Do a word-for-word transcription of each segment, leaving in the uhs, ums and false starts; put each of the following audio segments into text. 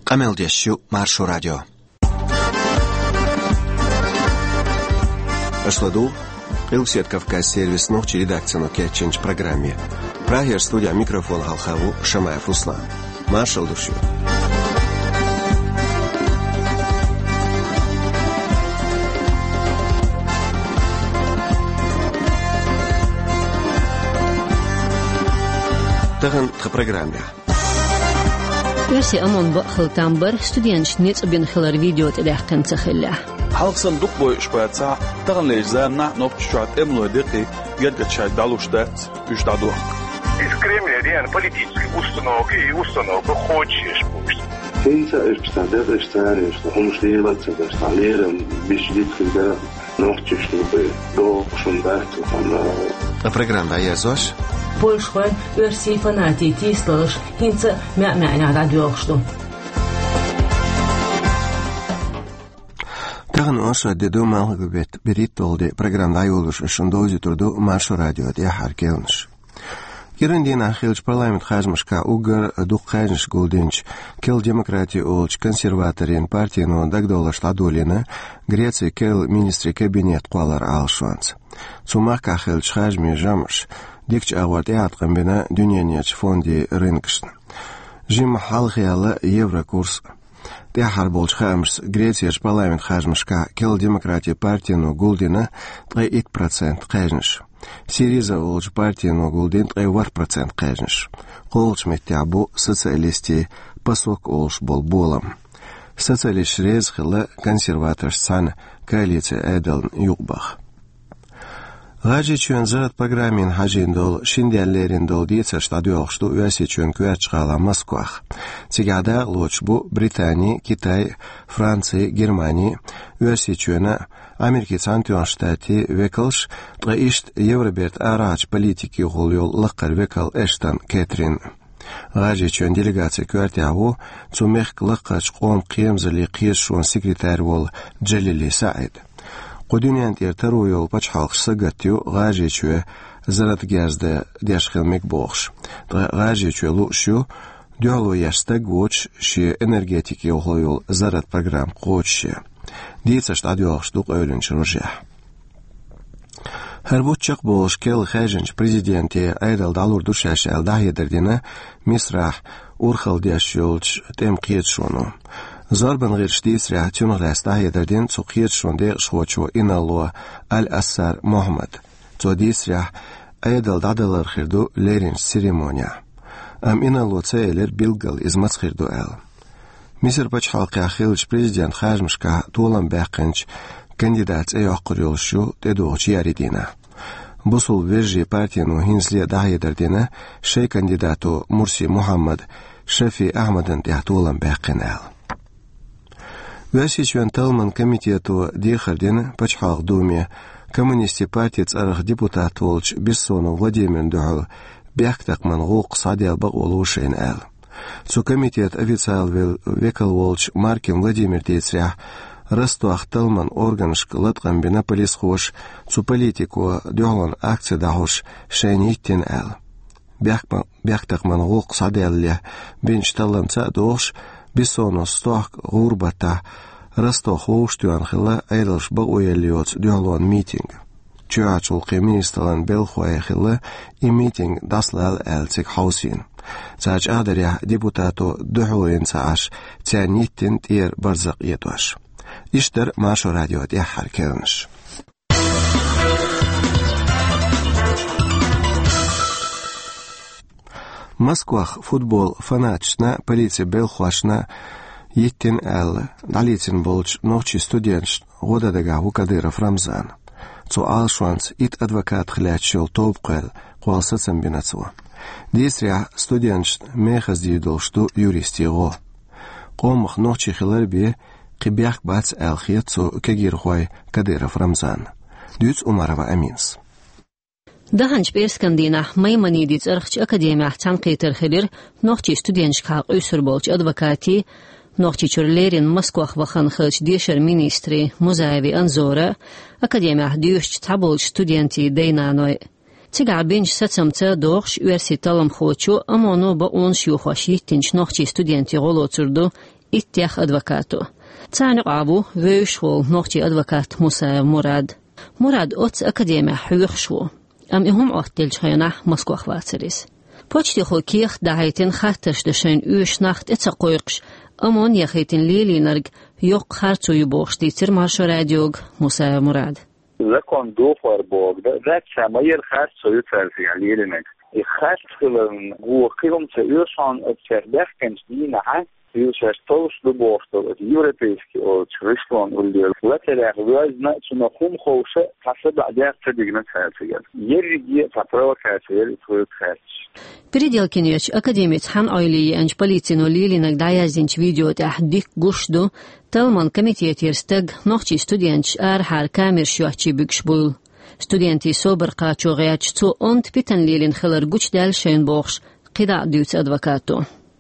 Къамел деш ю Маршо радио. Аша ладугӀу Къилбаседа Кавказан сервисан нохчийн редакцино кечйинчу программе. Прагера студехь микрофон хьалха ву Шамаев Руслан. Маршалла ду шуьга. Тахана тхан программехь. Оьрсийн ОМОН бакъ хила там бара, студенташна ницкъ бина хилар видео тӀедаьккхина ца хиллехь. Хьалха санна дукха бойуш бацахь, таханлерчу заманахь Нохчийчохь тӀемалой декъий гергара шайга дӀалуш дац, уьш дӀадохку. Из Кремль реально политическая установка и установка хочешь пусть. ХӀинца уьш цхьа деза, уьш цара уьш хӀумаш лелаца даш, цхьа лерам биш дитхина дара. Нохчашна бен догӀу шун дац, хан. Ткъа программа дӀаерзош. Польшахой оьрсийн фанатийн тийсалалаш хӀинца а маьӀ-маьӀнехь дӀадоьлхуш ду. Тахана оршот де ду, малхбале беттан берхӀитталгӀа де. Программа дӀайолош шуна довзуьйтур ду Маршо радион тӀаьххьара кхаьънаш. КӀиранан дийнахь хиллачу парламентан харжамашкахь уггар дукха кхаьжнаш гулдинчу Керла демократи олучу консерваторийн партино дагадовларш дӀадолийна Грецин керла министрийн кабинет кхолларан Ӏалашонца. Цу махкахь хиллачу харжамийн жамӀаша дикачу агӀор тӀеӀаткъам бина дуьненчу фондийн рынкашна. Жимма хьалхаяьлла еврокурс. ТӀаьххьара болчу хаамашца, Грецерчу парламентан харжамашкахь Керла демократи партино гулдина ткъе итт процент кхаьжнаш. Сириза олучу партино гулдина ткъе ворхӀ процент кхаьжнаш. КхоалгӀачу меттехь бу социалистийн ПАСОК олуш болу болам. Социалисташ реза хилла консерваторшца цхьаьна коалицин Ӏедална юкъабаха. ГӀажарийчоьнан зарратан программина хьажийна долу, шина денна лерина долу дийцарш дӀадоьлхуш ду Оьрсийчоьнан коьртачу гӀалахь Москвахь. Цигахь дакъалоцуш бу Британи, Китай, Франци, Германи, Оьрсийчоьнан, Америкин Цхьаьнатоьхначу Штатийн векалш, ткъа иштта Евробертан арахьарчу политикехула йолу лакхара векал Эштон Кэтрин. ГӀажарийчоьнан делегацин коьртехь ву цу мехкан лакхарчу къоман кхерамзаллин кхеташонан секретарь волу Джалили СаӀид. Кху дуьнен тӀера таро йолу пачхьалкхаш сагатта ю ГӀажарийчоь зарратан герз дан деш хила мега бохуш. Ткъа ГӀажарийчоь лууш ю дуьхьало еш стаг воцуш, шен энергетикехула йолу зарратан программа кхочушъян. Дийцарш дӀадоьлхуш ду къевлинчу рожехь. ХӀара бутт чекхболуш керла хаьржинчу президенте Ӏедал дӀалур ду шаьш аьлла дӀахьедар дина Мисрахь урхалла деш йолчу тӀеман кхеташоно. Зорбан гӀирсаша дийцарехь, цунах лаьцна дӀахьедар дина цу кхеташонан декъашхочо Инарло Аль-Ассар Мохьмада. Цо дийцарехь, Ӏедал дӀадалар хир ду леринчу церемонехь. Амма Инарло ца элира билггал иза маца хир ду аьлла. Мисар пачхьалкхехь хиллачу президентан харжамашкахь толам баьккхинчу кандидатан цӀе йоккхур йолуш ю тӀедогӀучу еарин дийнахь. Бусалба вежарийн партино хӀинцале а дӀахьедар дина, шайн кандидато Мурси Мухьаммада Шафи Ахьмадан тӀехь толам баьккхина аьлла. Оьрсийчоьнан талламан комитето дехар дина Пачхьалкхан Думе коммунистийн партин цӀарах депутат волчу Бессонов Владимирна дуьхьал бехктакхаман гӀуллакх схьаделла бакъо ло шайна аьлла. Цу комитетан официалан вел-, векал волчу Маркин Владимира дийцарехь, Ростовхь талламан органашка латкъам бина полисхоша цу политико дуьхьалонан акци дӀахьош шайна йиттина аьлла. Бехк-, бехктакхаман гӀуллакх схьаделлалехь бинчу талламца а догӀуш, Бессоновс стохка гӀуран баттахь Ростовхь вовшахтоьхна хилла Ӏедалша бакъо елла йоцу дуьхьалонан митинг. Чоьхьарчу гӀуллакхийн министраллан белхахой хилла и митинг дӀасалала аьлла цига хьовсийна. Цара чӀагӀдарехь, депутато дуьхьало йина ца Ӏаш, царна йиттина тӀера барзакъ этӀош. Иштта дара Маршо радион тӀаьххьара кхаьънаш. Москвахь футбол фанаташна, полицин белхахошна йиттина аьлла, дӀалецна болчу нохчийн студенташна гӀо дан дагахь ву Кадыров Рамзан. Цу Ӏалашонца итт адвокатах лаьтташ йолу тоба кхоьлла, кхолла сацам бина цо. Дийцарехь, студенташна мехаза дийр долуш ду юристийн гӀо. Къомах нохчи хилар бен кхин бехк бац аьлла хета цу кегийрхой Кадыров Рамзанна. Дуьйцу Умарова Аминас. Даханчу пӀераскан дийнахь Маймонидийн цӀарахчу академехь цхьаьнакхетар хилира нохчийн студенташкахьа къуьйсур болчу адвокатийн, Нохчийчуьра леррина Москвахь вахана хиллачу дешаран министрийн Музаеви Анзора, академехь доьшучу цхьаболчу студентийн дай-наной. Цигахь бинчу сацамца догӀуш, оьрсийн талламхочо ОМОНо бакъонаш йохош йиттинчу нохчийн студентийн гӀо лоцур ду иттех адвокато. Царна юкъахь ву вевзаш волу нохчийн адвокат Мусаев Мурад. Мурад оццу академехь хьоьхуш ву, амма и хӀума Ӏоттаделлачу хенахь Москох вацара иза. Почтехо кехат дахьийтина, хаттарш дан шайна оьшу нах тӀе ца кхойкхуш, ОМОН яхийтина лелийнарг йоккха харцо ю бохуш, дийцира Маршо радиога Мусаев Мурада. Закон дохор боху, да, дац, ша ма яра харцо ю цаьрца лелийнарг. И харц хиларна гуо кхин хӀума ца оьшу хьуна, оцу цаьрца баьхкинчу дийнахьа, шаьш товш ду бохуш долу оцу европейский олучу гӀишлон уллера латарехь воьзна, цунах хӀума ховша, цхьа садаӀа дехьа ца дигна цара цигара. Ерриге а цхьа провокация яра и тхоьга хаьттича. Переделкино йолчу академица хьан Ӏойли еанчу полицино лелийнарг дӀаяздинчу видео тӀехь дика гуш ду талламан комитетера стаг нохчийн студенташ арахьара камераш йоцчу буьгуш буйла. Студентийн собар кхачо гӀерташ, цо онда питана лелийна хилар гучудаьлла шайна бохуш, кхидӀа а дуьйцу адвокато.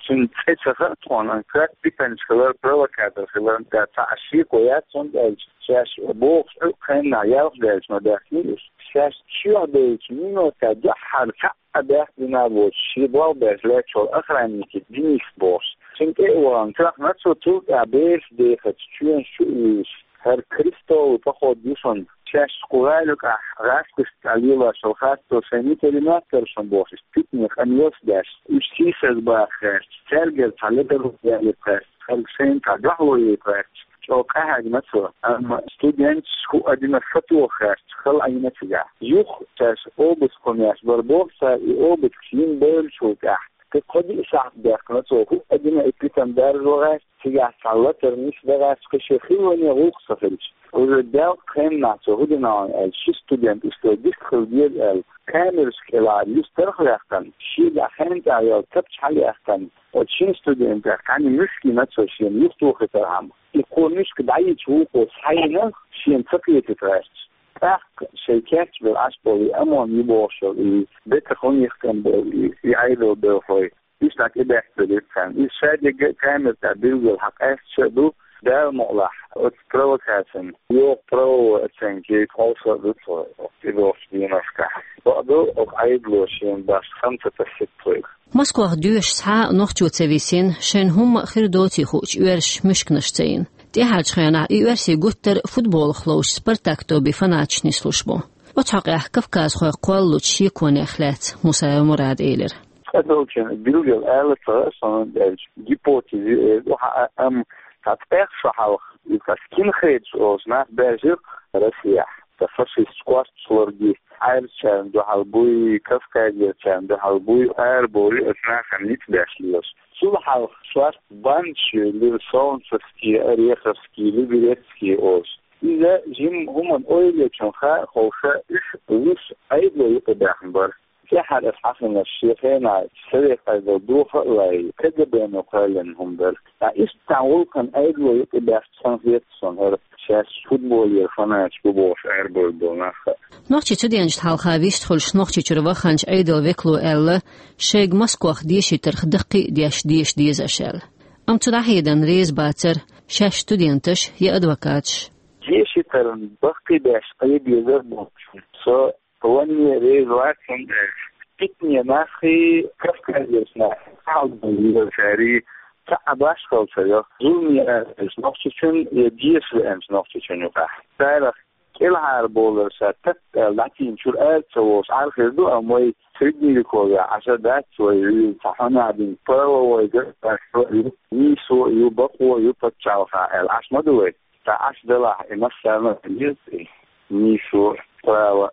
Цуьнан цӀе ца хаьа тхуна, кхин питанаш хилар, провокатор хилар, цхьа а шеко яц, хӀунда аьлча шаьш бохучу Ӏуьйкъа хеннахь ялх даьлча ма даьхкина уьш. Шаьш чоьхьа девллачу минотехь дуьххьара цхьаъ а баьхкина а боцуш, шен болх беш лаьтташ волу охранник Денис бохуш. Цуьнан тӀе а вахана, тоьхна цо, цул тӀаьхьа бераш дехачу чоьнаш чу а вуьйлуш, хӀара крестовый поход ю шуна. Шаьш кху гӀала юкъахь гӀаскхашца лелош йолу харцо шайн митари моьттура шуна бохуш, иштта питане къамелаш деш, уьш сийсаз баха гӀерташ, цаьргара цхьа ледарон ялийта гӀерташ, хӀара шайна цхьа дуьхьало яйта гӀерташ, чӀогӀа къахьегна цо. Амма студенташ хӀуъа дина сатоха гӀерташ, хала Ӏийна цигахь. Юха шаьш обыск хӀума еш бара боху цара, и обыск йина бевллачул тӀаьхьа, кхин кхо-диъ сахьт баьхкина цо, хӀуъа дина и питана даржо гӀерташ, цигахь цхьа латар нисдан гӀерташ, кхин шен хиллане гӀуллакх ца хилча. Уже делкъа хеннахь цо хӀун дина аьлча, ши студент, уьш цо дика хила деза аьлла, камерашка кӀелахьара юьстарх а ваьккхина, шегахь хенан тӀехь йолу тапча хьалаяьккхина, оцу шина студентех цхьаьна муьшка йина цо шена юхатохийтархьама. И кхо муьшка дӀайича вукхо схьайина, шена ца кхетийта гӀерташ. ТӀаккха шайн кечбелла Ӏаш болу и ОМОН ю бохуш йолу и бетах хӀун йихкина болу и, и Ӏедалан белхалой, уьш дӀа тӀебеттабелира царна. Иза шадерг а камера тӀехь билггал хьан къаьсташ а ду, Дала мукъалахь, оцу провокацина йоккха правовой оценка яйта къовса а ду тхо тӀедогӀучу деношкахь. Бакъду, оцу Ӏедало шена башха хан ца тасийта тхоьга. Москвах доьшуш цхьа а нохчо ца висина, шайна хӀумма а хир доций хуучу оьрсаша муьшканаш ца йина. ТӀаьхьарчу хенахь и оьрсийн гуттар а футболах ловчу «Спартак» тоби фанаташ нислуш бу. Оцу хьокъехь кавказхой кхоллалучу шеконех лаьцна Мусаев Мурада элира. ЦӀа долчун билггал ала ца гӀа суна, аьлча, гипотези эр ду хьан а, амма цхьа цӀех шо хьалха, иза кхин хеташ олуш нах баьржира Россехь, ца фашисташ кхоссалургий, Ӏаьржачарна дуьхьал буй, Кавказерчарна дуьхьал буй, арабовлий оцу нахана ницкъ беш лелаш. Цул хьалха шорта бандаш йоьллира Солнцевский, Ореховский, Люберецкий олуш. Иза жимма хӀуманан ойла йечун хаа ховша, уьш вуьш Ӏедало юкъа баьхна бара. ТӀаьхьара аса хьахинарш шен хенахь Совет Ӏедал доха а лай, КГБ-но кхоьллина хӀума дара. Ткъа иштта цхьана гӀуллакхана Ӏедало юкъа баьхча санна хета суна хӀара, шаьш футболера фанаташ бу бохуш арабевлла болу нах а. Нохчийн цуденашна хьалха вистхуьлуш Нохчийчуьра ваханчу Ӏедалан векало аьлла, шайга Москох дешийтарх даккхий а деш деша деза аша аьлла. Амма цу дӀахьеданна реза бацара шаьш студенташ я адвокаташ. Дешийтарна баккхий беш къе безар бохучун со ванне реза вац, хӀунда аьлча питане нахий, Кавказерчу нахий, цхьаалган вирачарий цхьа а башхалла ца йо, зуламе аьлла нохчочун я деша веанчу нохчочун юкъахь. Царах кӀелхьара болар ша тат аьлла дӀатийначуьра ара ца волуш Ӏар хир ду, амма вай средневековье Ӏаш а дац вай вуьйла, цхьа хьанадин правовой государство а ю, нийсо а ю, бакъо а ю пачхьалкхехь аьлла Ӏаш ма ду вай. Ткъа Ӏаш делахь, и массарна а деза и нийсо, право.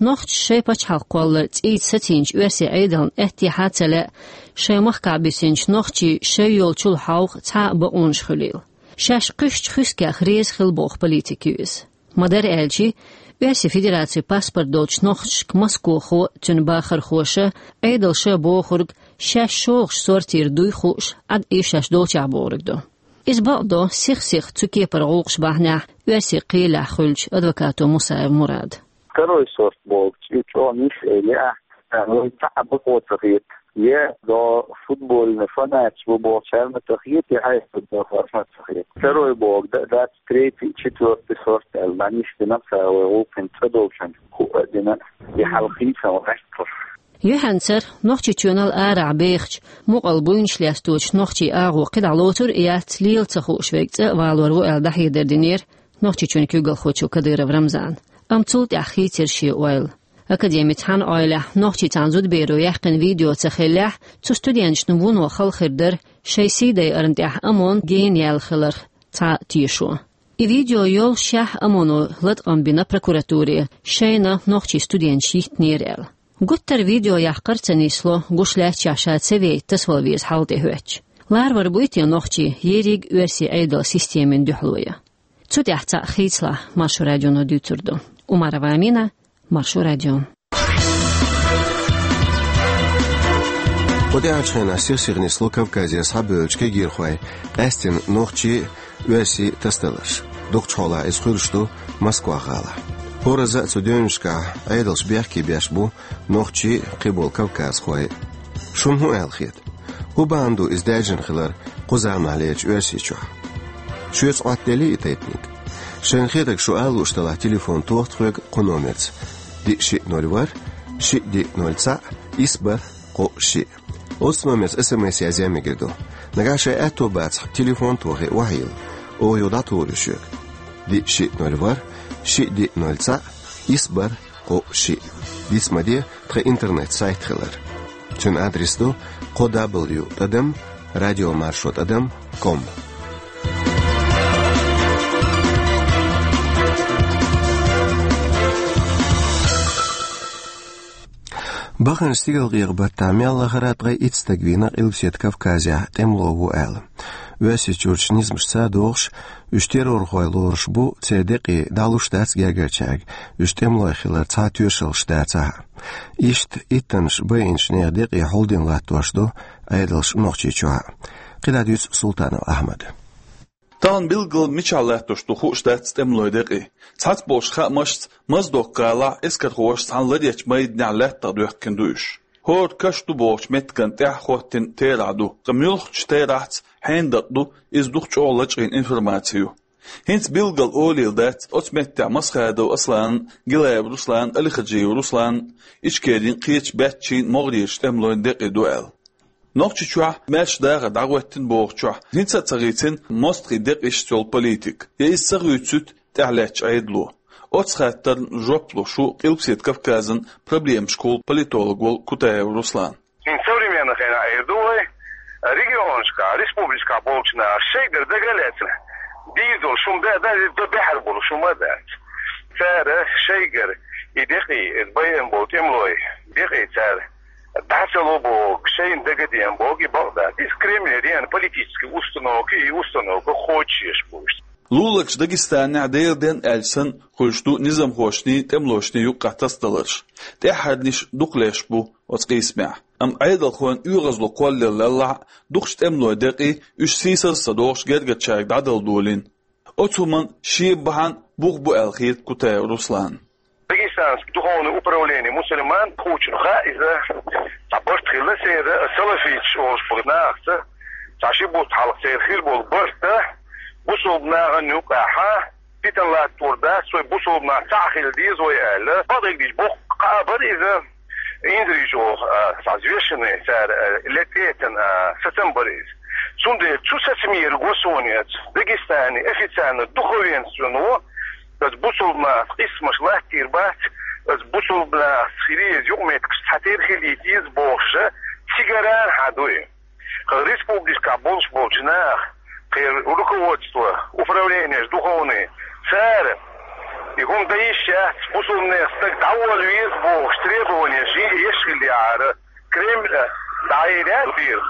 Нохчаша шайн пачхьалкх кхоллар цӀийца сацийначу оьрсийн Ӏедална аьттехьа а ца лаьа, шайн махкахь бисинчу нохчийн шайн йолчул хьовха цхьа а бакъонаш хуьлийла. Шаьш кхуьссучу хӀусамех реза хилла боху политик ю иза. Ма-дарра аьлча, Оьрсийн Федерацин паспорт долчу нохчашка москохо а, цуьнан бахархоша а, Ӏедалша а бохург шаьш шогӀучу сортера дуй хууш, Ӏад и шаьш долчохь бохург ду. Иза бакъдо сих-сиха цу кепара гӀуллакхаш бахьанехь оьрсийн кхелехь хуьлучу адвокато Мусаев Мурада. Второй сорт бохучу и чӀогӀа нисса элира ахь, вай цхьа а бакъо ца хета, я до футбольный фанаташ бу бохучарна ца хета, я Ӏедалан белхалошна ца хета. Второй боху да, дац, третий, четвёртый сорт аьлла, дӀанисдина цара вай гӀуллакхийн цӀа долчун хӀуъа а дина, и хьалхийсан гӀерталш. Юьхьанцара Нохчийчоьнал арахь бехачу, мукъал буйнаш лесточу нохчийн агӀо кхидӀа лоцур а яц, лела ца хууш верг цӀа а валор ву аьлла дӀахьедар динера Нохчийчоьнан куьйгалхочо Кадыров Рамзана. Амма цул тӀаьхьа хийцира шен ойла. Академица хьан Ӏойлехь, нохчийн цхьана зудаберо яьккхина видео ца хиллехь, цу студенташна вуно хала хир дара шайн сий дайарна тӀехь ОМОН гена яьлла хиларх цхьа а тешо. И видео йоллушехь ОМОНо латкъам бина прокуратуре, шайна нохчийн студенташ йиттинера аьлла. Гуттара видео яккхар а ца нисло, гуш лаьттачохь ша ца вейта, тасавала веза хьал тӀехӀоьттича. Ларвар буй те нохчийн ерриг а оьрсийн Ӏедалан системина дуьхьало ян? Цу тӀехь цхьаъ хийцалахь, Маршо радионо дуьйцур ду. Умарова Амина, Маршо радио. Кху тӀаьхьарчу хенахь сих-сиха нисло Кавказера схьабевллачу кегийрхойн къаьсттина нохчийн а, оьрсийн а тасадаларш. Дукхачу хьолахь иза хуьлуш ду Москва-гӀалахь. ХӀоразза а цу девнашкахь Ӏедалш бехке беш бу нохчий а, кхиболу кавказхой а. Шуна хӀун аьлла хета? ХӀун бахьана ду иза даьржина хилар кху заманахьлерчу Оьрсийчохь? Шуьца Ӏоттаделлий и тайпаниг? Шайна хетарг шу ала лууш делахь, телефон тоха тхоьга кху номерца: диъ шиъ ноль ворхӀ, шиъ диъ ноль цхьаъ, исс бархӀ кхоъ шиъ. Оццу номерца СМС язъян мегар ду. Нагахь шайн аьтто бацахь, телефон тохий, охьайилла, оха юха дӀатухур ю шуьга. Диъ шиъ ноль ворхӀ, шиъ диъ ноль цхьаъ, исс бархӀ кхоъ шиъ. Диц ма де тхан интернет-сайт хилар. Цуьнан адрес ду: кхо дабл ю тӀадам радиомаршо тӀадам ком. Баханчу стигалкъекъа-баттахь мел лахара а ткъе итт стаг вийна Къилбаседа Кавказехь тӀемало ву аьлла. Оьрсийчуьрчу низамашца догӀуш, уьш террорхой лоруш бу, церан декъий дӀалуш дац гергарчаьрга, уьш тӀемалой хиларан цхьа а тоьшаллаш дацахь а. Иштта иттаннаш байинчу нехан декъий хьулдина латтош ду Ӏедалш Нохчийчохь а. КхидӀа дуьйцу Султанов Ахьмада. Тахана билггал мичахь латтош ду хууш дац тӀемалой декъий. Цхьацца болчу хаамашца, Моздок-гӀалахь эскархоша цхьана ларъечу майданехь лаьттах доьхкина ду уьш. ХӀора каш ду бохучу меттиган тӀехь хӀоттийна терахь ду, ткъа муьлххачу терахьца хьенан дакъа ду, иза дукха чӀогӀа лачкъийна информаци ю. ХӀинца билггал олийла дац, оцу меттехь Масхадов Асланан, Гилаев Русланан, Алихаджиев Русланан, Ичкерин кхечу баьччийн, могӀарерчу тӀемалойн декъий ду аьлла. Нохчийчохь маьрша дахар дӀахӀоттийна бохучохь, хӀинца а ца хийцина мостагӀийн декъашца йолу политика, я иза ца хуьйцуьйту тӀаьхьалаьцначу Ӏедало. Оцу хаттарна жоп луш ву Къилбаседа Кавказан проблемашкахула политолог волу Кутаев Руслан. ХӀинца современный хенахь эр ду вай, регионашкахь, республикашкахь болчу наха шайгара дагалаьцна дийр долу шума да, да, да, баьхьар болу шума дац. Цара шайгара и декъий, иза байина болу тӀемалой декъий цара дӀа ца ло боху, шайна дагадеана боху и бакъ дац. Иза Кремлера еана политический установка, и установка кхочушъеш бу уьш. Луларчу Дагестанехь Делан денна аьлча санна хуьлуш ду низамхошний, тӀемалошний юккъехь тасадаларш. ТӀаьххьарниш дукха леш бу оцу къийсамехь. Амма Ӏедалхойн оьгӀазло кхоллаялалахь а, дукхачу тӀемалойн декъий уьш сийсаз а ца дохуш гергарчаьрга дӀадала долийна. Оцу хӀуманна шен бахьана бух бу аьлла хета Кутаев Русланна. Дагестанский духовный управление мусульман хуучун хаьа иза, цхьа барт хилла церан, салафиташ олуш болу нахаца, цхьа ши бутт хьалха церан хир болу барт, бусулба нахана юкъахь питана латтор дац, вай бусулба нах цхьаъ хила деза вай аьлла. Бакъдерг дийцича, боккха кхаъ бара иза. Инзаре чӀогӀа, а, цхьа взвешенный цара, а, лететан, а, сацам бара иза. Цундела цу сацамера го суна эца, Дагестане официально духовенственно, аса бусулба нахаца къийсамаш латтийр бац, аса бусулба нахаца хила еза юкъаметтигаш цхьатерра хилийта еза бохуша, цигара хьан дуй. Кху республикашкахь болуш болчу наха, кхеран руководство, управлениеш духовный, цара и хӀума дан йиш яц, бусулба нехан стаг дӀаволла веза бохуш требованиеш еш хиллехьара, Кремль дӀаайъира дийр.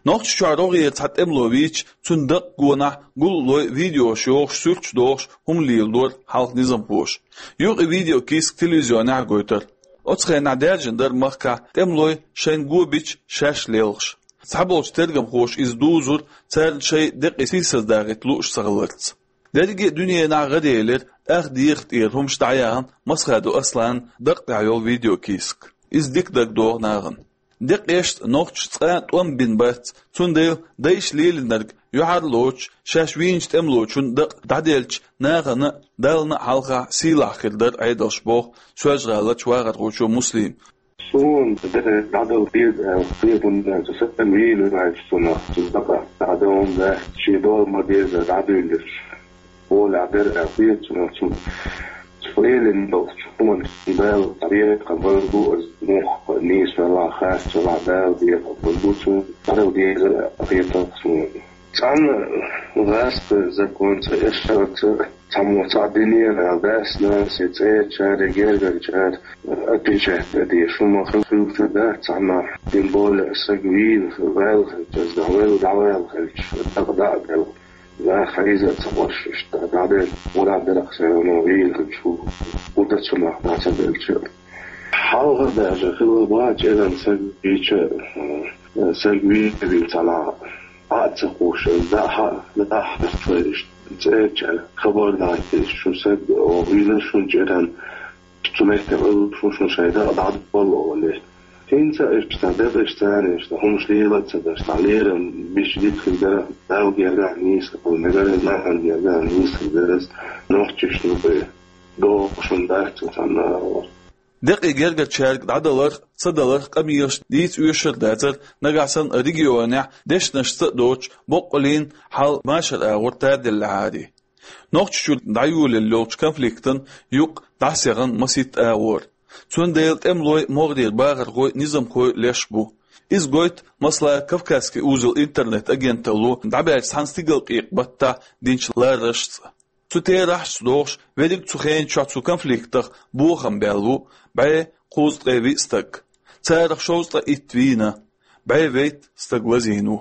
Нохчийчохь рогӀера цхьа тӀемало вийча, цуьнан дакъа гонахь гуллалой видеош йохуш, суьрташ дохуш хӀума лелору хьалха низамхоша. Юха и видеокийсак телевизионехь а гойтура. Оцу хенахь даьржина дара махкахь тӀемалой шайна го бича шаьш лелхаш. Цхьаболчу тергамхоша иза дузура, царна шайн декъий сийсаздахийта лууш ца хиларца. Дерриге а дуьненахь гӀараелира ах дехар тӀера хӀумаш дӀаяхана Масхадов Асланан дакъа тӀехь йолу видеокийсак. Иза дика дагадогӀу нахана. Декъашца нохчаша цкъа а тӀом бина бац, цундела дайша лелийнарг юьхьарлоцуш, шаьш вийначу тӀемалочун дакъа дӀаделлачу нахана а, Далла а хьалха сийлахь хир дара Ӏедалш, боху Соьлжа-ГӀаларчу вахархочо Муслима. Суна дера дӀадала деза аьлла хета, хӀунда аьлча саг вийна ваьлча цунах, цу дакъа дӀадала дац, шен дола ма-деззара дӀадуьйлуш. Оля дера аьлла хета цунах, цу, цу Ӏелина долчу хӀуманна Дала декъа бан бу, аса муха нийса велахь а, хастам велахь а Дала декъа бан бу цунна, дӀадала дезара аьлла хета суна. Цхьана гӀазкхийн законца, эшарца, цхьаммо цхьаъ динера аьлла, дас-нанас, цӀерачара, гергарчара отвечать дан дезаш хӀума хилча дац цхьаннахь, тем более саг вийна ваьлла хилча, аса дӀаваьлла, дӀаваьлла хилча, дакъа дӀа а делла, нах хьийза а ца хьожуш, иштта дӀаделла, мурад дара-кх, всё равно вийна хилча, хӀу-, хӀун дан цунах, дӀа ца делча. Хьалха даже хилла бу чӀиран саг вийча, э, саг вийна вилла цхьанахь, Ӏа а ца кхуссуш, дӀа а, дӀа а хьаьрча, цӀерачара хабар дӀа а деш, шун саг вийна шун чӀиран, цу метте ваьлла шун, шун шайн дакъа дӀадала олий. ХӀинца а иштта дезаш царна, иштта хӀумаш лела а ца деш, дӀа лерам бича дика хир дара, Далла гергахь нийса хир дара, нахана гергахь нийса хир дара, нохчашна бен догӀу шуна дац цхьанна а. Декъий гергарчаьрга дӀадаларх а, ца даларх а къамелаш дийца оьшур а дацара, нагахь санна регионехь дешнашца а доцуш, боккъаллин хьал машар агӀор таделлехьара. Нохчийчуьра дӀайолаелла йолчу конфликтан юкъ дӀасаяхна масийтта агӀор. Цундела тӀемалой, могӀарера бахархой, низамхой леш бу. Иза гойту, масала, «Кавказский узел» интернет-агенталло дӀабаьллачу цхьана стигалкъекъа баттахь динчу ларарашца. Цу терахьашца догӀуш, верриг цу хенан чохь цу конфликтах бохам баьлла ву бӀе кхузткъе виъ стаг. Царах шовзткъе итт вийна, бӀе вейтта стаг лазийна ву.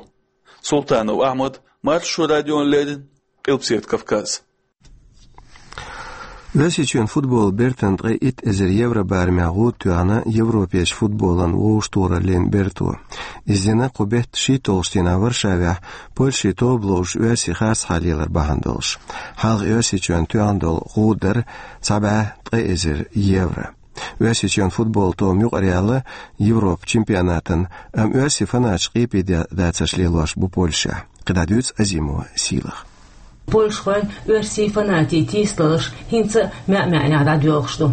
Султанов Ахьмад, Маршо радиона леррина, Къилбаседа Кавказ. Оьрсийчоьнан футболан бертана ткъе итт эзар евро барамехь гӀуда тоьхна Европерчу футболан вовшахтохараллин берто. Иза дина кху беттан шийтталгӀачу дийнахь Варшавехь Польшин тоба ловзуш оьрсийн харцахьара лелар бахьана долуш. Хьалха Оьрсийчоьнна тоьхна долу гӀуда дара цхьа бӀе ткъе эзар евро. Оьрсийчоьнан футболан тоба юкъараяьлла Европан чемпионатана, амма оьрсийн фанаташ къепе да-, дацарш лелош бу Польшехь. КхидӀа дуьйцу Азимова Сийлаха. Польшахойн, оьрсийн фанатийн тийсалгӀаш хӀинца а маьӀ-маьӀнехь дӀадоьлхуш ду.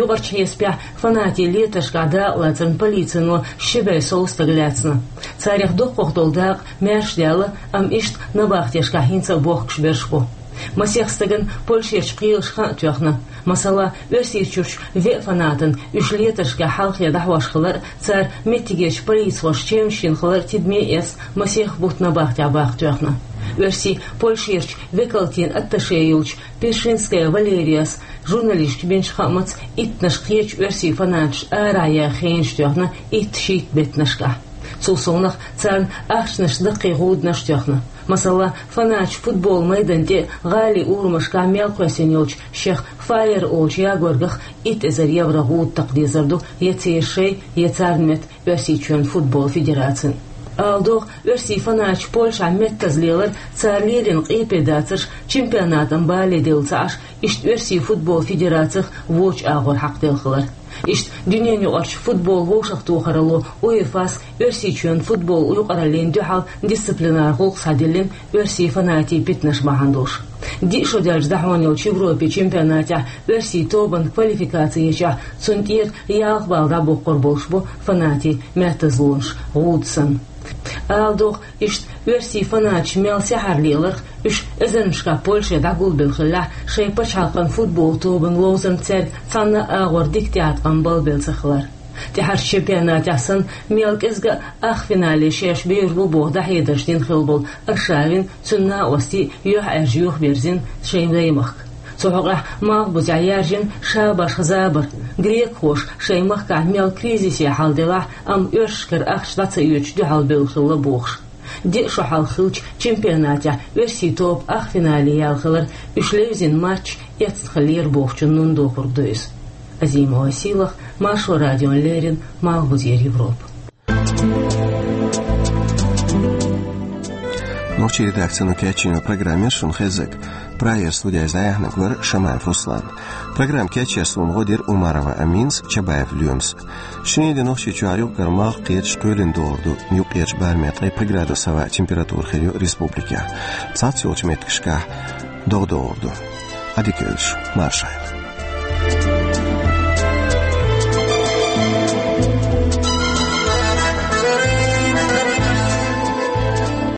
Юкъарчу хьесапехь, фанатийн летаршкахь дакъа лацарна полицино ши бӀе сов стаг лаьцна. Царех дукхах долу дакъа маьрша даьлла, амма иштта набахтешкахь хӀинца а бохкуш берш бу. Масех стагана Польшерчу кхелаша хан а тоьхна. Масала, Оьрсийчуьрчу веа фанатана уьш летаршкахь хьалхе дӀахьош хилар а, цара меттигерчу полицихошна чевнаш йина хилар а тидаме а эцна, масех бутт набахтехь баккха тоьхна. Оьрсийн Польшерчу векалтийн атташе йолчу Першинская Валерияс журналисташка бинчу хаамца, иттаннаш кхечу оьрсийн фанаташ арахь яха хенаш тоьхна итт-шийтта беттанашкахь. Цул совнаха царна ахчанаш даккхий гӀуданаш а тоьхна. Масала, фанаташ футболан майдан тӀе а, гӀалин урамашкахь а мел кхоьссина йолчу шех Файер олучу ягоргах итт эзар евро гӀуда такха дезар ду я церан шайн, я царна метта Оьрсийчоьнан футболан федерацина. Ала догӀу, оьрсийн фанаташ Польшахь меттаза лелар, цара лелийна къепе дацарш чемпионатан бале делла ца Ӏаш, иштта оьрсийн футболан федерацих вочу агӀор хьакхаделла хилар. Иштта дуьненаюкъарчу футболан вовшахтохаралло УЕФА-с Оьрсийчоьнан футболан юкъараллина дуьхьал дисциплинар гӀуллакх схьадиллина оьрсийн фанатийн питанаш бахьана долуш. Диъ шо даьлча дӀахьона йолчу Европин чемпионатехь оьрсийн тобанна квалификаци ечохь, цунна тӀера ялх балла дӀабоккхур болуш бу фанатийн меттазлонаш гӀуда санна. Ала догӀу, иштта оьрсийн фанаташ мел сехьара леларх, уьш эзарнашкахь Польше дӀагулбелла хиллехь, шайн пачхьалкхан футболан тобанна ловзарна цаьрга цхьанна а агӀор дика тӀеӀаткъам балбелла ца хилар. ТӀаьхьарчу чемпионатехь санна, мел кӀезга а ах финале шаьш бер бу боху дӀахьедарш дина хилла болу Аршавин, цуьнан накъостий юьхьӀаьржа юхаберзина шайн даймахка. Цу хьокъехь Малхбузехь яьржина шабашха забар, грекхоша шайн махкахь мел кризисе хьал делахь а, амма оьрсашкара ахча дӀа ца оьцуш дуьхьал бевлла хилла бохуш. Диъ шо хьалха хиллачу чемпионатехь оьрсийн тоба ах финале яьлла хилар, уьш левзина матч эцна хиллера бохучун нун дохург ду иза. Азимова Сийлаха, Маршо радиона леррина, Малхбузера Европа. Нохчийн редакцино кечйина программа яра шуна хезнарг. Прагера студехь иза дӀаяьхьнарг вара Шамаев Руслан. Программа кечъеш суна гӀо дира Умарова Аминас, Чабаев Лоьмас. Шинарин де Нохчийчохь юкъ-кара малх кхеташ, кхоьлина догӀур ду, юккъерчу барамехь ткъе пхи градус хӀаваъ, температура хир ю республикехь. Цхьацца йолчу меттигашкахь догӀа догӀур ду. Ӏадика йойла шун, марша Ӏойла.